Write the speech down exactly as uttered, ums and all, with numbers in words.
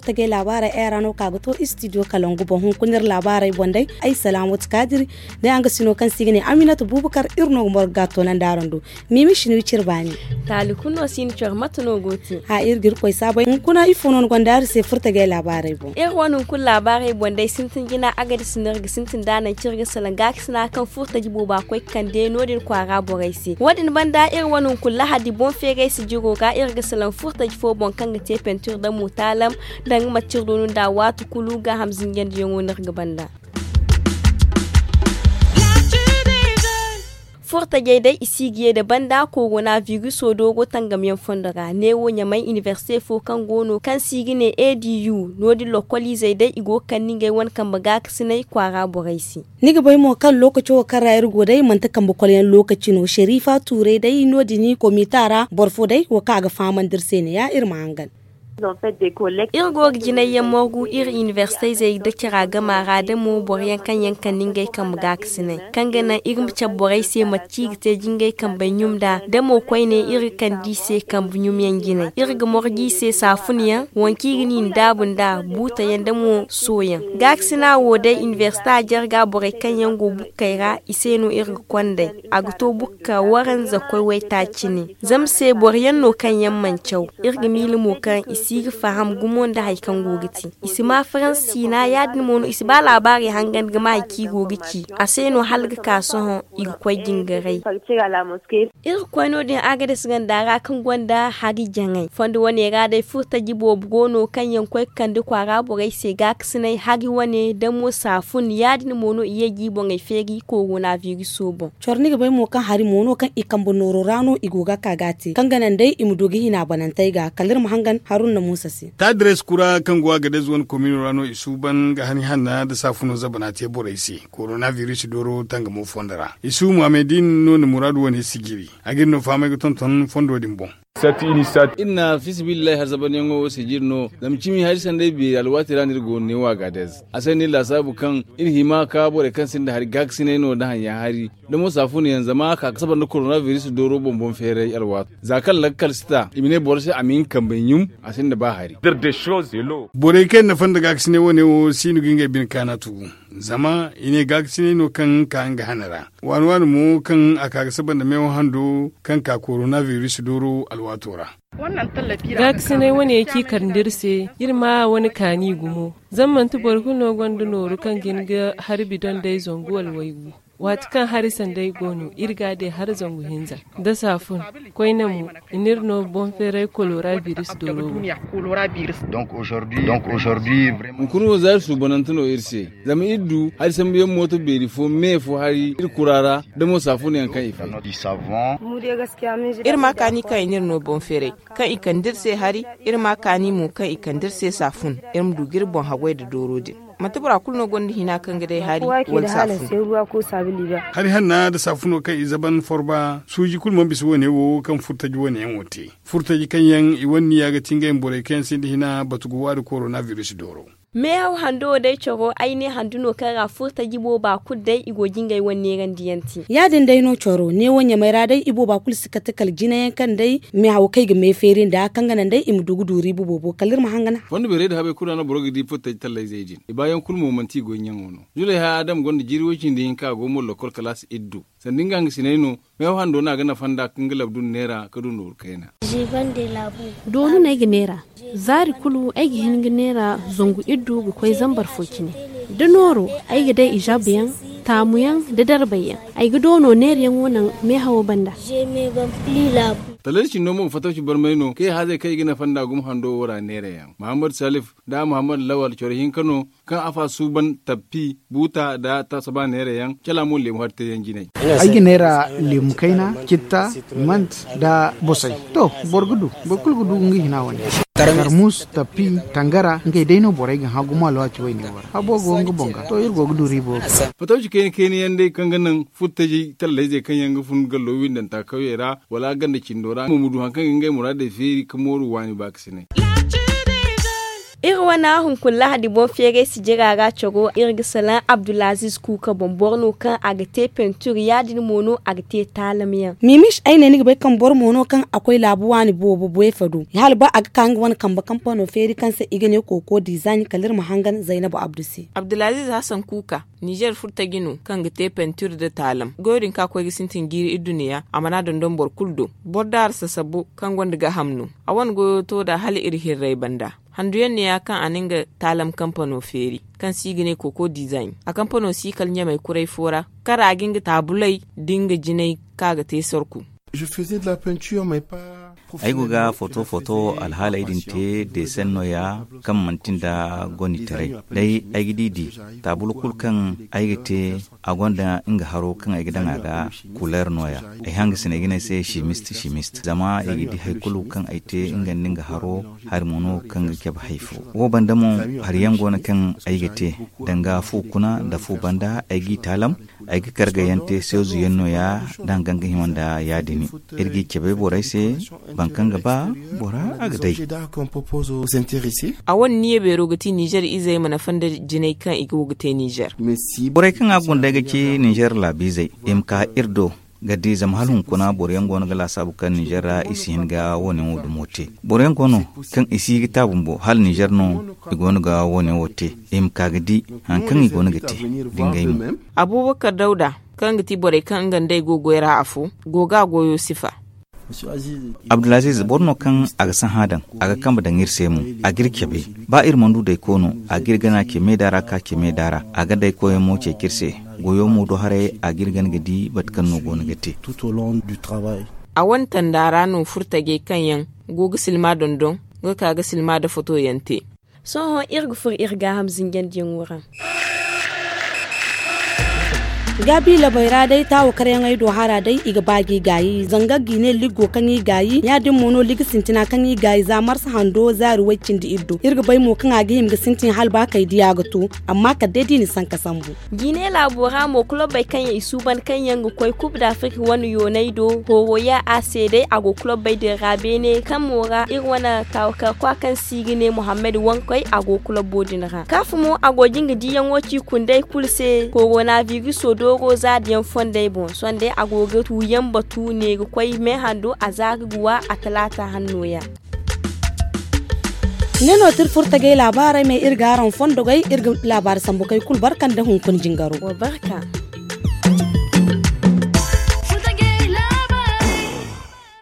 Tagay laabaarey ay ra no ka ga to istidiyo kalangu boŋ hunkuna iri laabaarey boŋ day. Ay salaamatu kaadiri day a nga sino kaŋ se i ga ne aminatu buubakar iri no ga morga ga a toonandi araŋ do. Miimi sino i cire baani. Taali kulu no si ni coro mate no go te? Haa iri ga irkoy saabay hunkuna ifo no ni gonda iri se furo tagay laabaarey boŋ? Iri wane hunkuna laabaarey boŋ day sintin jina agadis no iri ga sintin nd'a nangu kaŋ iri ga salaŋ gaakasina kaŋ furo taji booba koy ga kande no- din kwaara borey se wo- din banda iri wane hunkuna lahadi boŋ feeray sijiro ga iri ga salaŋ furo taji fo boŋ kaŋ ga te pentir nda muutaalam nda nga mate iri doonu nd'a waati kulu gaaham zinjandiyaŋo no iri ga banda. Furo tajey day i si ga ye nda banda korona viriso dooro tangamyaŋ fondo ra neewo ɲamay inibersite fo kaŋ go no kaŋ se i ga ne a d u no- din lokoliizey day i go ga kande ngey wane kambe gaakasinay kwaara borey se. Ni ga bay mo kaŋ lookaco wo kaŋ ra iri go day manti kambe kolyaŋ lookaci no serifa tuuray day no- din komita ra boro fo day wo kaŋ a ga fahamandi iri se ne ya iri ma hangan. Iri go ga jinayyaŋ morgu iri inibersitey zey nda cara gama ra da mo boroyaŋ kaŋ yaŋ kande ngey kambe gaakasinay kaŋ ga naŋ iri ma cabe borey se mate kaŋ i ga te jingay kambey ɲum nd'a da mo koyne iri ga kande i se kambe ɲumyaŋ jinay iri ga morgu i se saafunyaŋ, waŋ kaŋ i ga ni ndaabu nd'a buutayaŋ da mo sooyaŋ. Gaakasina wo day inibersita jarga borey kaŋ yaŋ go bukkey ra i se no iri ga konday. A ga to bukka waranza koy waytaaci ne. Zama se boro yaŋ no kaŋ yaŋ mana caw. Iri ga miila mo kaŋ i si ga faham gumo nda hari kaŋ go ga te. I si ma faransi ciina ya- din mo no i si ba laabaarey hangan ga ma hari kaŋ i go ga ci. A se no hala ga ka sohõ i ga koy jingaray. Iri ga koy no- din agades ganda ra kaŋ gonda hari jaŋay fondo wane ra day furo taji boobo go no kaŋ yaŋ koy ga kande kwaara borey se gaakasinay hari wane da mo saafun ya- din mo no i ye ga i boŋey feeri korona viriso boŋ. Coro ni ga bay mo kaŋ hari mo no kaŋ i kambe nooro ra no i go ga ka ga a te kaŋ ga naŋ day i ma du ga hina banantey ga kala iri ma hangan haruna muusa se. Taadirees kura kaŋ go a ga day zuwan komino ra no i suuban ga hani hanna nda saafuno zabana te borey se. Korona biris dooro tangamo fondo ra isu muhammedin no na muraadu wane sijiri. A ga iri no fahamay ga tonton fondo din boŋ. Iri na fiisabilillahi har zabanyaŋo wo sijiri no zama cimi hari sanday beeri alwaati ra no iri go no ne wo a ga a day a se no iri laasaabu kaŋ iri hima ka borey kaŋ sinda hari gaakasinay no nda haŋyaŋ hari da mo saafunayaŋ zama a ka ga sabar nda korona biris dooro boŋ boŋ feeray alwaato za kaŋ lakkal si ta i ma ne boro se a ma hin kambey ɲum. A sinda ba hari. Borey kaŋ yaŋ na fanda gaakasinay wane wo si no ga ngey bine kaana tugu. Zama i ne gaakasinay no kaŋ ka nga hane ra waani waani mo kaŋ a ka ga saba nda meewa hando kaŋ ka korona biris dooro alwaato ra. Gaakasinay wane ci kar nda iri se iri ma wane kaani gumo. Zama manti boro kulu no gonda nooru kaŋ ga hin ga hari bidon day zangu wala waygu. Waati kaŋ hari sanday go no iri ga a day hari zangu hinza nda saafun. Koyne mo i n'iri no boŋ feeray kolora biris dooro. Hunkuna wo za iri suubanante no iri se zama iri du hari sambuyaŋ mooto beeri fo me fo hari iri kura ra da mo saafunayaŋ kaŋ i fay. Iri ma kaani kaŋ i n'iri no boŋ feeray kaŋ i kande iri se hari. Iri ma kaani mo kaŋ i kande iri se saafun iri ma du ga iri boŋ haggoy nda dooro din. Manti bora kulu no gonda hina kaŋ ga day hari wala saafun. Hari hanna nda saafuno kaŋ i zaban forba suuji kulu mana bisa wane wo kaŋ furtaji wane yaŋ wo te. Furtaji kaŋ yaŋ i wane niya ga ti ngey ma borey kaŋ yaŋ sinda hina batu ga waari korona biris dooro. Meehaw hando wo day coro ay ne handu no kaŋ ra furtaji booba kulu day i go ga ngey wane neerandiyaŋ te. Ya- din day no coro neewo ɲamey ra day i booba kulu si kate kala jinayaŋ kaŋ day meehawo kaŋ i ga meefeeri nda kaŋ ga naŋ day i ma du ga du riiba boobo kala iri ma hangan. Fondo beerey da habey kulu ra no boro ga di furtaji tallayzey din i baayaŋ kulu mo manti i goy ɲaŋo no. Julay haya adama gonda jiiri woy cindi hinka a go mo lokkol kalaasi iddu. Sanda nga hangasiney no meewa hando no a ga nafa nda kaŋ ga labdun neera ga du nooru kayna. Doonu no ay ga neera. Zaari kulu ay ga hin ga neera zangu iddu ga koy zambar fo cine. Da nooro ay ga day ijaabuyaŋ, taamuyaŋ, da darbayyaŋ. Ay ga doono neerayaŋo naŋ meehawo banda. Talay cindo mo ga fatawci barmay no kay haazey kaŋ i ga nafa nda gumo hando wo ra neerayaŋ mahammad salif nda mahammad lawal coro hinka no. Kaŋ afa suuban tappi buuta nda tasaba neerayaŋ cala mo leemu hari teeyaŋ jinay. Ay ga neera leemu kayna citta, mant, nda bosay. To, boro ga du boro kulu ga du nga hina wane. Tarmus, tappi, tangara ngey day no borey ga hã gumo alwaati wayne wo ra habo go nga boŋ ga to iri go ga du riibo. Fatawci kayna kayna yaŋ day kaŋ ga naŋ furtajey tallayzey kaŋ yaŋ ga fun gallo windanta kawyey ra wala ganda cindo ra mo ma du hari kaŋ ga ngey muraadey feeri ka mooru waani baakasinay. Iri wane hunkuna lahadi boŋ feeray sijira ra caro iri ga salaŋ abdulaziz kuuka boŋ boro no kaŋ a ga te pentur ya- din mo no a ga te taalam yaŋ. Mimis ay ne ni ga bay kaŋ boro mo no kaŋ a koy laabu waani boobo boyfa do hala ba a ga ka nga wane kambe kampano feeri kaŋ se i ga ne kooko dizaani kala iri ma hangan zaynabu abdu se. Abdulaziz hasan kuuka, nizer furtaji no kaŋ ga te pentur nda taalam goyo din kaŋ a koy ga sintin jiiri idduniya a mana dondon boro kulu do. Boro daara sasabu kaŋ gonda gaaham no. A wane goyo to nd'a hala iri hirray banda. Handuyaŋ neeya kaŋ a na nga taalam kampano feeri, kaŋ se i ga ne kooko dizayn. A kampano si kala ɲamay kuray fo ra, kara a ga nga taabuley nda nga jinay kaŋ a ga te sorku. Ay go ga foto foto alhaaley din te deeseŋ nooya, kaŋ manti nda gonitaray. Day ay ga di di taabul kulu kaŋ ay ga te, a gonda nga haro kaŋ ay ga daŋ a ga. Kuleer nooya. Ay hangasiney ga ne ay se simist simist zama i ga di hari kulu kaŋ ay te nga nda nga haro. Hari mo no kaŋ ga cabe hari fo. Wo banda mo, hari yaŋ go no kaŋ ay ga te, danga fu kuna nda fu banda ay g'i taalam. Ay ga karga yaŋ te seezu yaŋ nooya, da hangan ga hima nda ya- din. Iri g'i cabe borey se. Boro kaŋ ga ba bora a ga day. A wane niya beero ga ti nizer izey ma nafa nda jinay kaŋ i go ga te nizer. Borey kaŋ a gunda ay ga ci nizer laabiizey, i ma ka iri do ga di zama hala hunkuna boro yaŋ go no ga laasaabu kaŋ nizer ra i si hin ga wo- ne wo dumo te. Boro yaŋ go no kaŋ i si ga ta bumbo hala nizer no i go no ga wo- ne wo te. I ma ka ga di hari kaŋ i go no ga te. Da ngey mo. Abubakar dawda, kaŋ ga ti borey kaŋ nga nd'ey go goy ra afo, go ga a goyo sifa. Abdulaziz boro no kaŋ a ga sahã daŋ, a ga kambe daŋ iri se mo. A ga iri cabe. Ba iri mana du dayko no, a ga iri gana ce meeda ra ka ce meeda ra. A ga dayko yaŋ mo ceeci iri se. Goyo mo do haray a ga iri gana ga di mate kaŋ no go no ga te. A wane tanda ra no furtajey kaŋ yaŋ go ga silma dondon ga ka ga silma nda foto yaŋ te. Sohõ iri ga furo iri gaaham zinjandiyaŋo ra. Gaabi labey ra day taawo karyaŋey do hara day i ga ba g'i gaayi zanga g'i ne liggo kaŋ i gaayi ya- din mo no ligi sintina kaŋ i gaayi za marsa hando zaari way- cindi iri do iri ga bay mo kaŋ a ga hima ga sintin hala ba kay diya ga to. Amma kala day da i na sanka sambu. Jiine laabo ra mo kulobey kaŋ yaŋ i suuban kaŋ yaŋ ga koy kub da afirka wane yooney do hooro ya a se day a go kulobey din ra beene kaŋ mo ra iri wane taawo karkwa kaŋ se i ga ne muhammad wankoy a go kulobo din ra kaafu mo a go jin ga diiyaŋo ci kunday kulu se korona viriso dooro zaadiyaŋ fondey boŋ sonday a go ga tuuyaŋ batu ne ga koy meehando a za ga guwa a talaata hanno ya. Ne no ti iri furo tagay laabaarey me iri ga araŋ fondogey iri ga laabaari sambu kaŋ i kulu barka nda hunkuna jingaro.